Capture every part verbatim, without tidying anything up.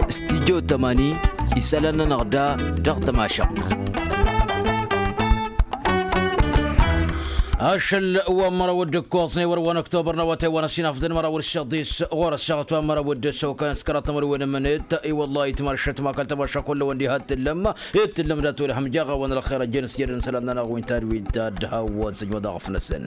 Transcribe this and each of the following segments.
Stijjo tămani isălan-nănăɣ da dăɣ-tămašăɣt. Ašăl wa n-măraw d-ǝkkoẓ n-ewăr wa n-ăktobăr n-awătay wa n-ăsinafḍăn măraw d-săḍis ɣur-ăssaɣăt wa n-măraw d-săwkan s-kăraḍ tămănwen n-imǝnet. I-wăllah itmašăt ma kăl-tămaša kull-wăn diha t-tǝllăm. T-tǝllăm dat-wăl hamjaɣ-awăn ălxer ăjjeen s-jedăn isălan-nănăɣ wi n-tadwit ta d-hawăn săjmăḍ aɣăf-năsăn.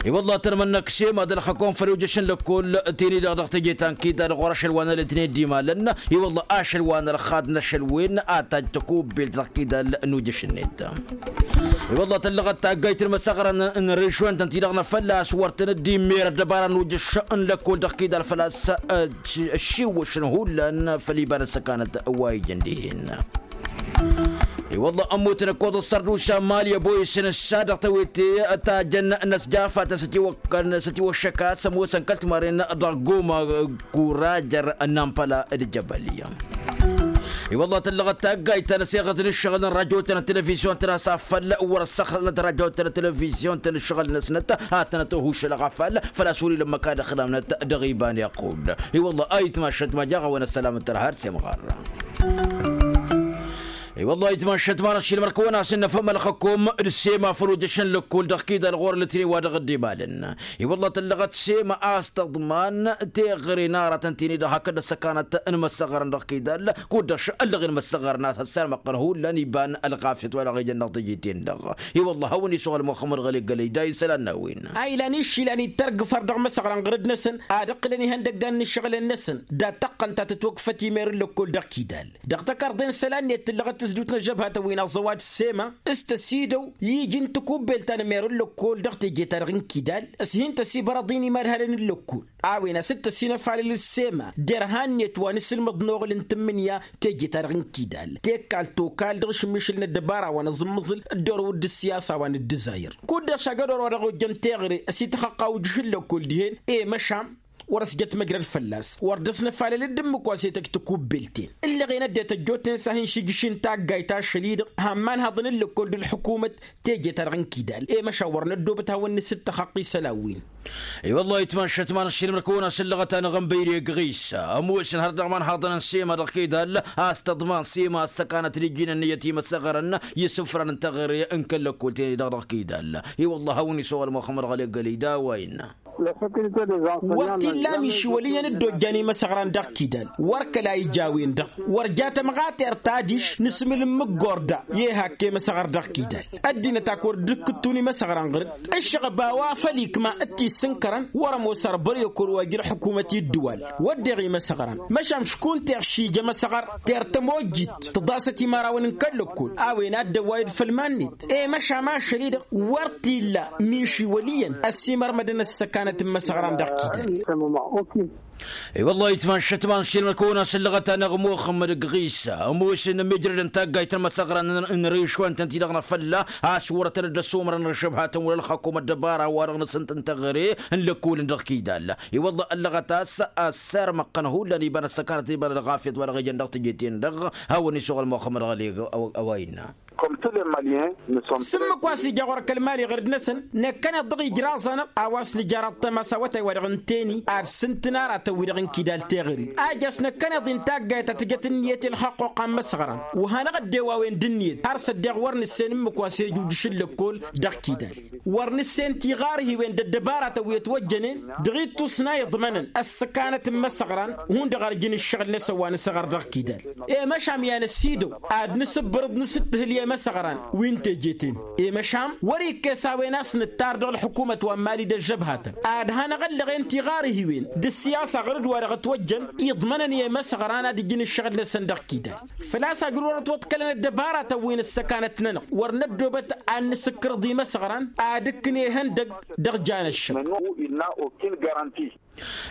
I-wăllah tărmănnăk sema d-ălxăkom făll-ujǝš n-lăkkol tini-dăɣ dăɣ-teje ta n-kidal ɣur-ašăl wa n-ălătnen d-imalăn. I-wăllah ašăl wa n-ălxad n-ašăl wen a tajj tăkubbelt dăɣ-kidal n-ujǝš-net. I-wăllah tăllăɣăt taggayt n-imăsăɣrăn n-rǝžwen tăn-ti-dăɣ n-afăl a-s wăr tăn-dd-immer ăddăbara n-ujǝš n-lăkkol dăɣ-kidal făl-a-s ăššiwwăšăn hullan făll-iba n-ăssăkanăt wa ijăn dihen. I-wălla ămmutăn ǝkkoẓ ăssărdusa mali ăboyǝsăn ǝssa dăɣ-tewete tajăn n-ăsjafatăn s-ătiwăššăk a-s ămoosăn kăl-timarren dăɣ-goma kurajăr n-ampăla d-jăbăl. I-wălla tăllăɣăt taggayt ta n-ăseɣăt n-ǝššăɣǝl n-rajotăn n-televizyon-tăn a-s afăl wăr-ăssăxlănăt rajotăn n-televizyon-tăn ǝššăɣǝl-năsnăt ad-tănăt-hušălăɣ afăl făl-a-s wăr-ila ǝmmǝk ad-ăxlamnăt dăɣ-iba n-iqqud. I-wălla a itmašăt ma jaɣ-a-wen ăssălam n-tărha ar semɣar. I-wălla itmašăt ma n-ašilmăr kăwăn-asǝnnăfăm ălxăkom d-sema făll-ojăš n-lăkkol dăɣ-kidal ɣur-lătnen wa dăɣ-dd-imalăn. I-wălla tăllăɣăt sema a-s tăḍman teɣăre n-aratăn tini-dăɣ hakd ăssăkanăt n-imăssăɣărăn dăɣ-kidal kud-dăɣ šăllăɣen imăssăɣărăn a-s ăssarmăqqăn hullan iba n-ălɣafyăt wa dăɣ-ijăn dăɣ-teje-ten-dăɣ. I-wălla a hawăn-isuɣǝl muxămmăd ɣăli gălăy da isălan n-a-wen. A ilan išilan ittărgǝfăr dăɣ-imăsăɣran ɣǝrǝd-năsăn ad-ǝqqǝlăn ihăndăggan n-ǝššăɣǝlăn-năsăn dat-tăqqăn ta tǝtwăkfăt imer n-lăkkol dăɣ-kidal. Dăɣ-tăkarḍe n-isălan-net tǝllăɣăt tǝzdut n-ăžžăbhatăn wi n-aẓăwad s-sema s-tăsidăw iji n-tikubbelt ta n-emer n-lăkkol dăɣ-teje-ta-dăɣ n-kidal. S-hin-tăsibărăḍ-in imadhalăn n-lăkkol a-wen a-s t-tăsinăfalăl s-sema derhan-net wa n-asǝlmăḍ n-oɣǝl n-tǝmmǝnǝya teje-ta-dăɣ n-kidal tekkal tokal dăɣ-ašǝmmišǝl n-ăddăbara wa n-aẓǝmmǝẓǝl. Dd-orăwăd d-ăssiyasa wa n-dd-ǝzzayăr kud-dăɣ šagădor wa dăɣ-ojjăn teɣăre s-ităxăqqa ujǝš n-lăkkol dihen i-măšan wăr-ăsjăt măjrăd fălla-s wăr dd-ăsnăfalăl d-ǝmmǝk wa s-e-tăj tikubbelt-en. Ǝllăɣen ăddinăt ăjjootnen s-ad-hin-šijǝšin taggayt ašăl-i-dăɣ hamman haḍăn n-lăkkol d-ălḥukumăt teje-ta-dăɣ n-kidal i-măšan wăr năddoobăt hawăn-nǝsǝttăxăqq isălan-win. I-wăllah itmašăt ma n-ašilmăr kăwăn-asǝllăɣăt-anăɣ ănbăyre gɣisa ămoosăn har dăɣ-iman haḍăn n-sema dăɣ-kidal a-s tăḍman sema ăssăkanăt d-ijjin ǝnniyăt i-imăsăɣărăn i-isǝfran n-teɣăre n-kăl-lăkkol-ten-i-dăɣ dăɣ-kidal. I-wăllah a hawăn-isăwăl muxămmăd ɣăli gălăy d-a-wa innă. Wăr t-illa miši wăl' iyyăn dd-ojjan imăsăɣran dăɣ-kidal wăr kăla ija a-wen-dăɣ wăr ja tămɣatert adiš n-asǝmǝl n-imǝggor da i-ehak i-imăsăɣăr dăɣ-kidal. Ăddinăt ak wăr dd-ǝkkǝttǝwăn imăsăɣran ɣǝr-dd ǝššăɣăb a-wa făl ikma d-tissǝnkărăn wăr-ămoos ărbăr i-okor wa ija ălḥukumăt i-ǝddǝwal. Wădden imăsăɣran măšan škunteɣ šija imăsăɣăr ter tămojjit tǝḍasăt imărawăn n-kăl-lăkkol a-wen a dd-ăwwayăd făll-iman-net. I-măšan ašăl-i-dăɣ wăr t-illa miši wăl' iyyăn ăsimărmădăn ăssăkanăt n-imăsăɣran dăɣ-kidal. I-wăllah itmašăt ma n-ašilmăr kăwăn-asǝllăɣăt-anăɣ muxămmăd gɣisa ămoosăn ămijrăd n-taggayt n-imăsăɣran n-rǝšwăn-tăn-ti-dăɣ n-afălla a-s wăr-tăn-dd-ăsumărăn ăššăbhatăn wăla ălxăkum ăddăbara-wa-dăɣ n-asǝntăn teɣăre n-lăkkol-in dăɣ-kidal. I-wăllah ăllăɣăt a-s ăssarmăqqăn hullan iba n-ăssăkanăt iba n-ălɣafyăt wa dăɣ-ijăn dăɣ-teje-ten-dăɣ. Hawăn-isuɣǝl muxămmăd ɣăli a-wa innă. S-ǝmmǝk wa s-ija ɣur-kăl-mali ɣǝr-dd-năsăn năkkăneḍ-dăɣ ijraẓ-anăɣ a-wa s-nǝjar ăṭṭăma s-awătay wa dăɣ-ǝnteni ad-sǝntǝn aratăn-wi-dăɣ n-kidal teɣăre. A ija a-s năkkăneḍ-in taggayt ta tǝjăt ǝnniyăt i-ălxăqquqa n-imăsăɣran wa hanăɣ-dd-ewawen d-ǝnniyăt har s-ăddeɣ wăr nǝssen ǝmmǝk wa s-ejujǝš n-lăkkol dăɣ-kidal. Wăr nǝssen tiɣarhiwen d-ăddăbaratăn wi ătwăjjănen dăɣ-ittus n-a iḍmănăn ăssăkanăt n-imăsăɣran hundăɣ ar jǝn ǝššăɣǝl-năsăn wa nǝsăɣăr dăɣ-kidal. I-măšan i-ad-năsidăw ad-nǝsǝbbărǝḍ nǝsǝttǝhǝl i-imăsăɣran wi n-teje-ten. I-măšan wăr-ikkes a-wen a-s nǝttar dăɣ-ălḥukumăt wa n-mali d-ăžžăbhatăn ad-hanăɣ-ăllăɣen tiɣarhiwen d-ăssiyasa ɣur-dd wa dăɣ-ătwăjjăn iḍmănăn i-imăsăɣran ad-ǝjǝn ǝššăɣǝl-năsăn dăɣ-kidal. Făl-a-s ajrurăt wăḍkălăn ăddăbaratăn wi n-ăssăkanăt-nănăɣ wăr năddoobăt ad-nǝsǝkkărăḍ imăsăɣran ad-ǝkkǝn ihăndăg dăɣ-janăššăk.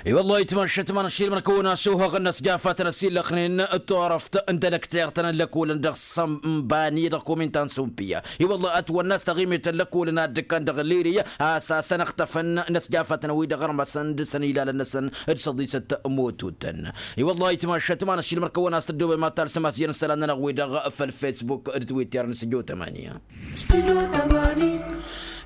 I-wăllah itmăššăt ma n-ašilmăn kăwăn-asuhăɣăn n-ăsjafatăn ăsillăxnen turăft n-telăktert ta n-lăkolăn dăɣ-sămbani dăɣ-komintan sumpiya. I-wăllah ătwănna a-s taɣimit n-lăkolăn ad-dd-ǝkkan dăɣ-liri a-s asăn ăxtăfăn n-ăsjafatăn-wi-dăɣ ărmăsăn dăr-săn ilalăn-năsăn d-săḍisăt motutăn. I-wăllah itmăššăt ma n-ašilmăn kăwăn-as tăddoobem ad-talsăm a-s ijăn isălan-nănăɣ-wi-dăɣ făll-fesbuk d-twitter n-sǝjo tămani.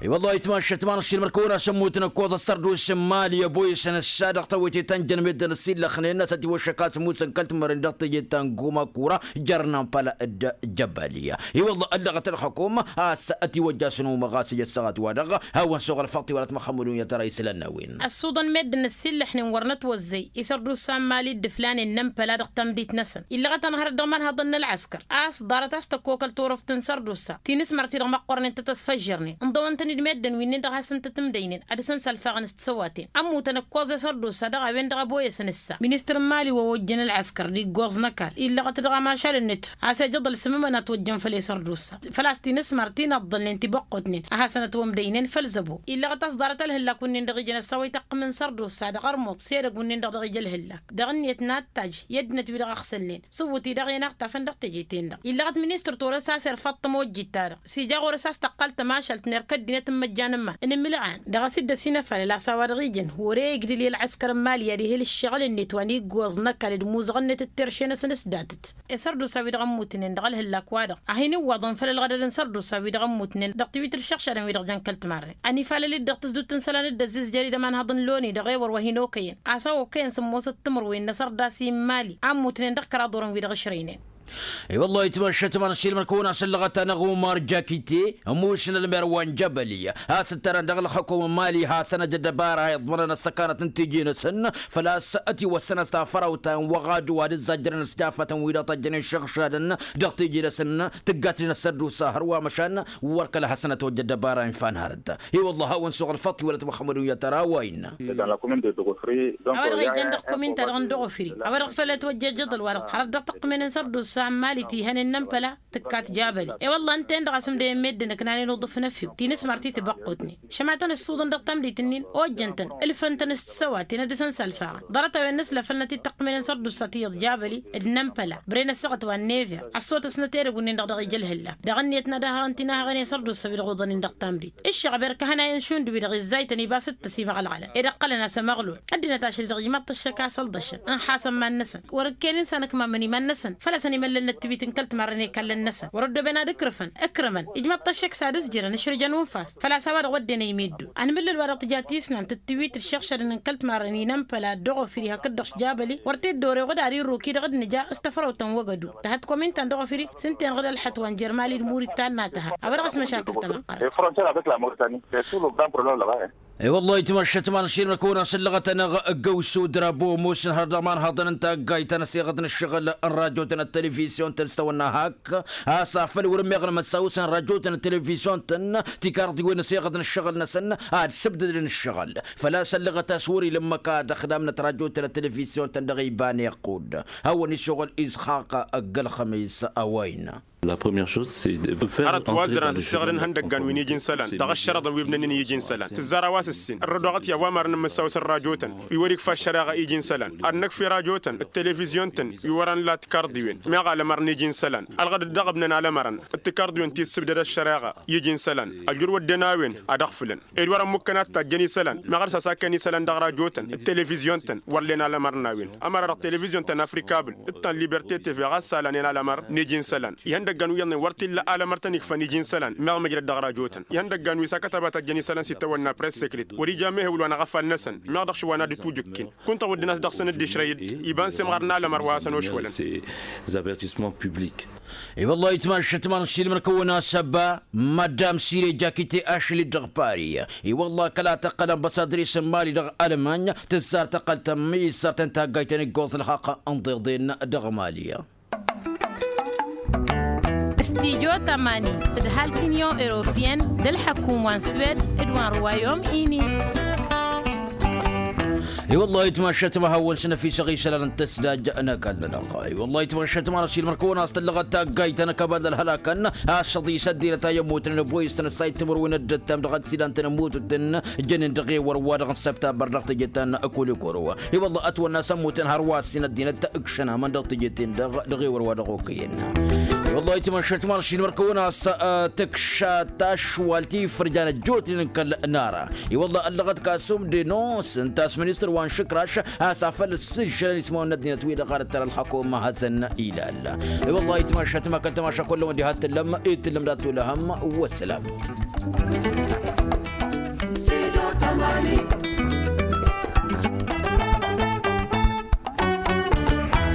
I-wăllah itmašat ma n-ašilmăr kăwăn-asăn mutăn ǝkkoẓ ăssărdusen mali ăboyăsăn ǝssa dăɣ-tawăyte ta n-jăn meddǝn ăsillăxnen a-s ătiwăššăk a-s musăn kăl-timărren dăɣ-teje ta n-guma kura jer-inănpăla d-jăbaliya. I-wăllah ăllăɣăt ălxukum a-s ătiwăjja a-s ănumăɣ a-s ija ăssaɣăt-wa-dăɣ hawăn-suɣ ălfăṭṭ iwălăt măxămmădun i-ad-tăra isălan n-a-wen. Ăssuḍăn meddǝn ăsillăxnen wăr nătwăzzăy isărdusa n-mali d-ǝflan innănpăla dăɣ-tamdit-năsăn illăɣăt ănhărăt dăɣ-imanhăḍăn n-ălɣăskăr a-s ḍarăt a-s tăkkokăl turǝft n-sărdusa ti n-asmăr-ti-dăɣ măqqornen tăt-ăsfăžžărnen ǝnḍăwăn-tăn-dd meddǝn wi-nin-dăɣ hasăn-tăt-ǝmdăynen ad-dăr-săn sălfaɣăn s-tisăwaten ămmutăn ǝkkoẓ isărdusa dăɣ-a-wen-dăɣ ăboyăsăn ǝssa ministăr n-mali wa ojjăn ălɣăskăr d-iggoẓ n-ăkall illăɣăt dăɣ-amašal n-nǝtf a-s ejăḍăl s-imǝmăn a ătwăjjăn făll-e-sărdusa făl-a-s ti n-asmăr ti n-aḍḍălnen ti băqqotnen ad-hasăn-ătwămdăynen făll-zăbo illăɣăt a-s ḍarăt ălhǝllak wi-nin-dăɣ ijăn ăssawăy tăqqǝm n-sărdusa dăɣ-ărmuḍ s-edăgg wi-nin-dăɣ dăɣ-ija ălhǝllak dăɣ-ǝnniyăt n-ad-tajj i-ăddinăt wi-dăɣ ăɣsălnen s-ǝwwǝt-i-dăɣ i-ănăɣtafăn dăɣ-teje-ten-dăɣ illăɣăt ministăr torăs a-s irfăṭṭăm ojjit-ta-dăɣ s-ija ɣur-s a-s tăqqal tămašalt n-erk ăddinăt n-imăjjan n-iman n-imǝlɣan dăɣ-asǝddăs inăfalăl a-s a-wa-dăɣ ijăn wăr-e ijlǝl i-ălɣăskăr n-mali ad-ihǝl ǝššăɣǝl-net wa n-iggoẓ n-ăkall d-imuzăɣ-net d-terše-năsăn s-datăt. Isărdusa wi-dăɣ ămmutnen dăɣ-ălhǝllak-wa-dăɣ a hin-iwwaḍăn făll-ălɣădăd n-sărdusa wi-dăɣ ămmutnen dăɣ-tiwit ǝlšăɣšadăn wi-dăɣ jăn kăl-timarren ănifalăl-dd dăɣ-tǝzdut n-isălan d-ăzzizjăr idămanhăḍ n-loni dăɣ-ewăr wa hin-okăyăn a-s a okăyăn sǝmmosăt timǝrwen n-asărdas i-mali a ămmutnen dăɣ-kăraḍ orăn wi-dăɣ ǝšrăynen. I-wăllah itmăššăt ma n-ašilmăr kăwăn-asăn lăɣăt-anăɣ umar jakite ămušǝn ălmer wa n-jăbăli a-s ǝttărăn dăɣ-ălxukum n-mali hasăn-ăj ăddăbara iḍmărăn ăssăkanăt n-tiji-năsăn făl-a-s ătiwăssăn a-s tafărawt ta n-wăɣadu ad-ǝzzajjărăn s-jafătăn wi-dăɣ tăjjăn išăɣšadăn dăɣ-tiji-năsăn tǝggatnen ăssărdusa hărwa măšan wăr kăla hasăn-ătwăjja ăddăbara infa n-hărăt. I-wăllah hawăn-suɣ ălfăṭṭ iwălăt măxămmădun i-ad-tăra a-wa innă. A-wa-dăɣ ijan dăɣ-komin-ta-dăɣ n-dăɣ-ofǝri a-wa-dăɣ făl ătwăjja ijăḍăl-wa-dăɣ hărăt dăɣ-tăqqǝmen n-sărdusa n-mali ti hănen n-ănpăla tǝkkat jabăli. I-wălla ǝnta-en-dăɣ a-s ǝmdăyăn meddǝn ǝknanen uḍǝf n-efew ti n-asmăr ti tibăqqutnen šămatăn ǝssuḍăn dăɣ-tamdit-nin ojjăn-tăn ǝlfăn-tăn s-tisăwaten ad-dăr-săn salfaɣăn ḍarăt-a-wen n-aslăfăl n-ad-t-dd-tăqqǝmnen sărdusa ti iyyăḍ jabăli d-inănpăla bren ăssaɣăt wa n-nevea ăssotăsnăt edăgg-wǝnnin-dăɣ dăɣ-ija ălhǝllak dăɣ-ǝnniyăt n-ad-ahăɣăn ti n-ahăɣăn i-sărdusa wi-dăɣ oḍănen dăɣ-tamdit ǝššăɣ ber kăhănayăn šund wi-dăɣ izzaytăn ibas d-tăsimăɣlăɣlăn ed ăqqălăn a-s ămăɣlul ăddinăt ašăl-i dăɣ-ijmaḍ-t ăššăk a-s ălḍăšăn ǝnxasăn iman-năsăn wăr-ǝkkenen s-anăkmamăn iman-năsăn făl-a-s ănimăllălnăt tiwit n-kăl-timarrăn i-ikallăn-năsăn wăr-ăddooben ad-ǝkrǝfăn ǝkrǝmăn ijmaḍ-t ăššăk s-ad-ǝzjǝrăn ǝšrǝjăn unfas făl-a-s a-wa-dăɣ wădden ăymiddu ănmǝllăl wa dăɣ-tǝja tisnant d-tiwit d-išăɣšadăn n-kăl-timarrăn i-inănpăla d-dăɣ-ofǝri hakd-dăɣ s-jabăli wăr t-dd-oreɣ d-ad-irruk-i-dăɣ d-nǝja s-tăfrăwt ta n-wăgădu tăhăt komin-ta n-dăɣ-ofǝri s-ǝnta-enăɣ d-ălxăt wa n-jer-mali d-murit ta n-a tăha a-wa-dăɣ a-s măšakǝl tamăqqărăt. I-wăllah itmăššăt ma n-ašilmăr kăwăn-asăn lăɣăt-anăɣ ăggăwsu drapo ămoosăn hărăt dăɣ-imanhaḍăn n-taggayt ta n-ăseɣăt n-ăššăɣǝl n-rajotăn d-televizyon-tăn s-tawănna hak a-s afăl wăr-ămmeɣlăm ăssawăsăn rajotăn d-televizyon-tăn tikarḍiwen n-ăseɣăt n-ǝššăɣǝl-năsăn ad-sǝbdădăn ǝššăɣǝl făl-a-s ăllăɣăt a-s wăr-ila ǝmmǝk ad-ăxdamnăt rajotăn d-televizyon-tăn dăɣ-iba n-iqqud. Hawăn-isuɣǝl isxaq ăgg-ălxămis a-wa innă. Hărăt wa ăzzărăn ad-ǝssăɣrăn ihăndăggan wi n-iji n-isălan dăɣ-ăššărăḍăn wi ǝbnănnen i-iji n-isălan tǝzzar a-wa s-ǝssin ărrădoɣăt i-awamărăn n-imǝssaw s-ărrajotăn wi wăr-ikfa ăššăreɣa i-iji n-isălan ad-năkf i-rajotăn d-televizyon-tăn wi wărăn la tikarḍiwen meɣ alămăr n-iji n-isălan ălɣădăd dăɣ-ǝbnăn alămărăn d-tikarḍiwen ti ǝssǝbdăd ăššăreɣa i-iji n-isălan ăjur wădden a-wen ad-ăɣfǝlăn ed wăr-ămmukkăn ad-tajjăn isălan meɣ ărsas a ken isălan dăɣ-rajotăn d-televizyon-tăn wăr len alămăr n-a-wen ămăra-dăɣ televizyon ta n-afrika bǝl d-ta n-liberte teve ɣas salan en alămăr n-iji n-isălan ihăndăggan wi iyyăḍnen wăr t-illa alămăr tăn-ikfăn iji n-isălan meɣ măjrăd dăɣ-rajotăn ihăndăggan wi s-akătăba tajjăn isălan s-itawănna press secret wăr-ija mehewǝl wa n-aɣăfal-năsăn meɣ dăɣ-šwa n-ad-ǝtwǝjǝkken kunta wădden a-s dăɣ-săn dd-išrăy-dd iba n-semɣar n-alămăr wa hasăn-ošwălăn. I-wăllah itmašăt ma n-ašilmăr kăwăn-asăba madam sire jakite ašăl-dd dăɣ-pari. I-wăllah kăla tăqqăl ănbăsadres n-mali dăɣ-almany tǝzzar tăqqăl tămmǝy issărtăn taggayt ta n-iggoẓ ǝlxaqq ǝnḍeḍen dăɣ-mali. Studyo tămani tǝdhal t-inyon europiyăn d-ălḥăkum wa n-swed d-wa n-ruwayom ini. I-wăllah itmašăt ma hawăn-s năfisăɣ isălan n-tăsdaj n-ăkall-nănăɣ. I-wăllah itmašăt ma n-ašilmăr kăwăn-as tăllăɣăt taggayt ta n-ăkabal d-ălhălakăn a-s šăḍi s-ăddinăt a i-ămmutnen ăboyăs-tăn ăssay timǝrwen d-ǝttam dăɣ-ăssidan-tăn ămmututăn jănen dăɣ-ewăr-wa-dăɣ n-săbtabar dăɣ-teje ta n-kulikoro. I-wălla ătwănna s-ămmutăn hărwa ăssin ăddinăt ǝkšăn amăn dăɣ-teje-ten-dăɣ dăɣ-ewăr-wa-dăɣ okăyăn. I-wălla itmăššăt ma n-ašilmăr kăwăn-as tǝkša tašwalt ifărjan ăjjootnen n-kăl-nara. I-wălla ăllăɣăt kasum denos ǝnta a-s ministăr wa n-išǝkraš a-s afăl ǝssǝžžălăn ismawăn n-ăddinăt-wi-dăɣ ar ǝttăr ălxăkom ma hasăn-ilal. I-wălla itmăššăt ma kăl-tămaša kullăm wa n-diha t-tǝllăm i-tǝllăm dat-olăhăm. Wăssălam.